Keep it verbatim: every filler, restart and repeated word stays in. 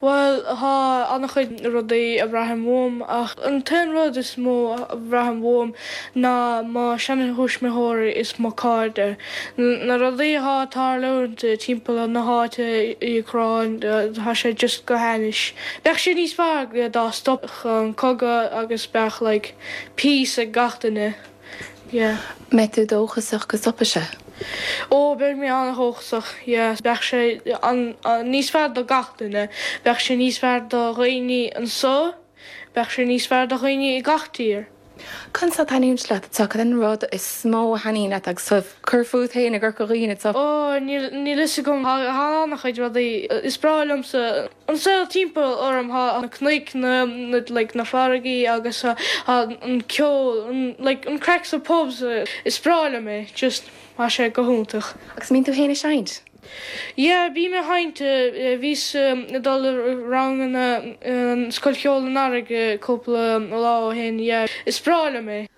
Well tá an-chuid rudaí a bhraithim uaim ach an t-aon rud is mó a bhraithim uaim ná mo sheantuismitheoirí is mo chairde. Na rudaí atá ag tarlúint timpeall na háite i Úcráin tá sé just go hainnis. Bheadh sé níos fearr dá stopfadh an cogadh agus bheadh like, peace ag gach duine. Yeah. Mbeidh tú dóchasach go stopfaidh sé. Ó beidh mé an-dóchasach bheadh sé níos fearr do gach duine, bheadh sé níos fearr do dhaoine anseo, bheadh sé níos fearr do dhaoine i gach tír. Cad a thaitníonn leat tá an rud is mó a thaitníonn leat agus cur fút féin i gCorca Dhuibhne Ó níl fhios agam an-chuid rudaí is breá liomsa an saol timpeall orm tá na cnoic na like, na farraigí agus an ceol like, an craic sa pubs is breá liom é just tá sé go hiontach. Agus mbíonn tú féin ag seinnt? Ja, bhí mé ag seinnt bhíos dul ranganna Scoil Cheoil an Earraigh cúpla lá ó shin, is breá liom é.